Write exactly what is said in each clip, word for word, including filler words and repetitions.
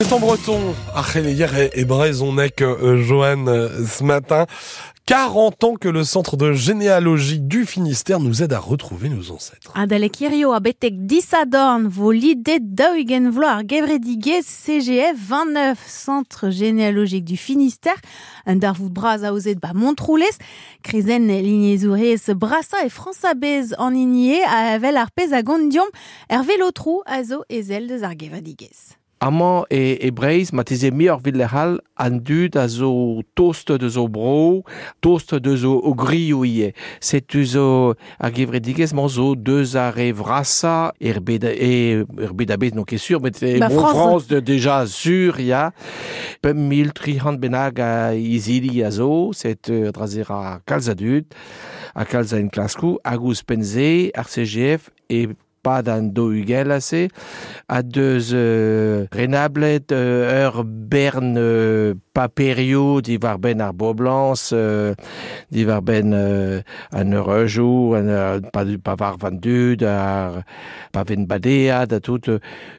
C'est en breton, ar c'heleier e, e brezhoneg euh, Johan euh, ce matin. quarante ans que le centre de généalogie du Finistère nous aide à retrouver nos ancêtres. Adalek hirio ha betek disadorn vo lidet daou-ugent vloaz ar gevredigezh C G F vingt-neuf, centre généalogique du Finistère. Un darvoud bras aozet ba Montroulez, krizenn lignezourez brasa e Frañs a-bezh an hini eo a vel ar pezh a gont diomp Hervé Lotrou a zo ezel deus ar gevredigezh. Amañ e, e Breizh, ma teze muioc'h evit lec'h all, an dud a zo tost deus o bro, tost deus o, o grioù ivez. Setu zo ar gevredigezh-mañ zo deus ar re vrasañ er bed, e, er bed a-bezh n'on ket sur, met e Ba bro France. France de, déjà sur, ya. Pemp mil tri c'hant bennak a izili a zo, set euh, drazer a kalz a dud, a kalz a enklaskoù, hag ouzhpenn-se, ar C G F e pad an daou-ugent ase, a deus, euh, renablet, euh, ur bern, euh, paperioù diwar benn ar boblañs, euh, diwar benn, euh, an eureujoù, an, euh, pa, pa var van dud, ar pa ven badead, a tout, euh,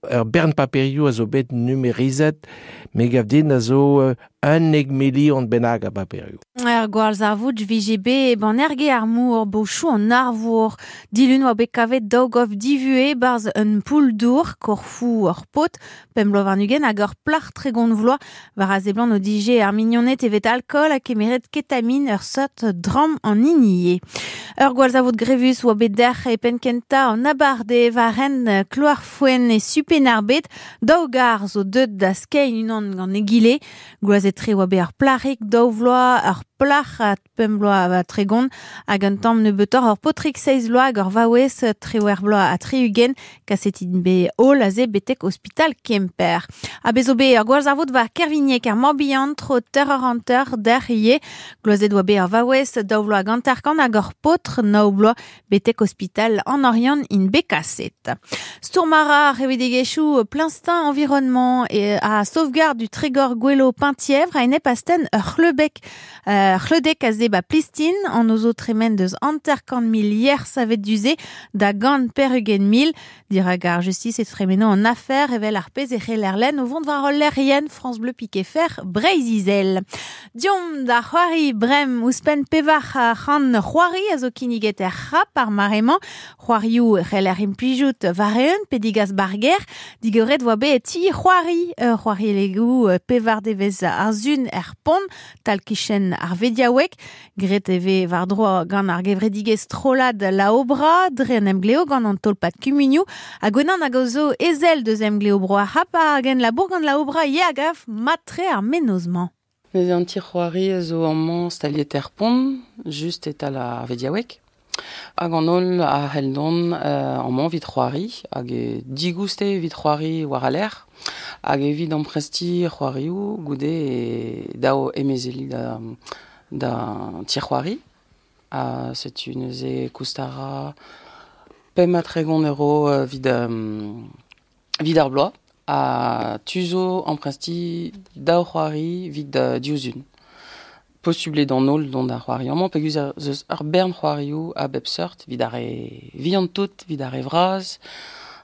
ur bern paperioù a zo bet numerizet, me gav din a zo, euh, un eg milion bennak a paperioù. Ur gwall zarvoud vije bet ban erge ar mour, bochou an arvour. Dilun oa bet kavet daou gof divue barz un poull dour, korfou ur pot, pemp bloaz warn-ugent hag ur plac'h tregont vloaz war a seblant o dije ar mignoned evet alkool ha kemeret ketamine ur seurt dramm an hini eo. Ur gwall zarvoud grevus oa bet derc'h e penn kentañ an abardaez war hent Kloarfouen e Su-Penn-ar-Bed, daou gar zo deut da skeiñ unan gant egile. Gloazet tre oa bet ar plac'hig daou vloaz, ar plac'h a pemp bloaz ha tregont, hag un tamm nebeutoc'h ur paotrig seizh vloaz hag ur vaouez triwec'h bloaz ha tri-ugent, kaset int bet holl aze betek ospital Kemper. Ha bez zo bet ur gwall zarvoud war Kervignac ar Morbihan, tro teir eur hanter derc'h ivez. Gloazet oa bet ar vaouez daou vloaz hag hanter-kant hag ur paotr nav bloaz betek ospital an Oriant int bet kaset. Stourm a ra ar c'hevredigezhioù Plein-Stin Environnement et a sauvegarde du Trégor Goëlo Penthièvre a enep astenn ur c'hleubek, euh, c'hleudek a ze ba Plistin, an ozo tremen deus hanter-kant mil yer savet duze da gant per-ugent mil. Dirak ar justice e tremeno an affaire evel ar pezh e c'heller lenn o vont war ul lec'hienn France Bleu Piquet Fer Breizh-Izel. Diomp da c'hoari brem ouzhpenn pevar c'hant c'hoari a zo kinniget er c'hap ar mare-mañ. C'hoarioù c'heller implijout war-eeun pe digas barger. Digoret voa bet ti c'hoari, ur c'hoari legoù pevar devezh ar zun er pont, tal kichen ar vediaoueg. Gret e vez war dro gant ar gevredigezh strollad la obra, dre an emgleo gant an tolpad kumunioù. Hag gwenan hag zo ezel deus emgleo bro ar c'hap hag en labour gant la obra ye hag af matre ar mennozh-mañ. Neuze an ti c'hoari a zo amañ staliet er pont, just e-tal ar vediaoueg. Hag an holl a c'hell dont, euh, amañ evit c'hoari, hag e digouste evit c'hoari war al lec'h, hag evit amprestiñ c'hoarioù goude e daou emezeli da, da ti c'hoari. Ha setu neuze koust a ra pemp ha tregont euro, euh, evit, euh, evit ar bloaz. Ha tu zo amprestiñ daou c'hoari evit, euh, diouzhun. Posubl eo d'an holl dont ar c'hoari amañ, peogwir ez eus ur bern c'hoarioù a bep seurt, evit ar re vihan tout, evit ar re vras,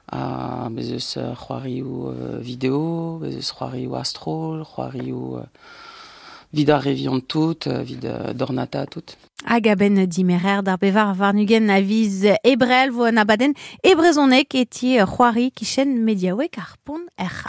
ha bez eus c'hoarioù, euh, vidéo, bez eus c'hoarioù a-stroll, c'hoarioù, euh, evit ar re vihan tout, evit, euh, dornata tout. Hag a-benn dimerer d'ar bevar warn-ugent a viz Ebrel vo an abadenn e brezhoneg e ti c'hoari kichen mediaoueg ar pont er c'hap.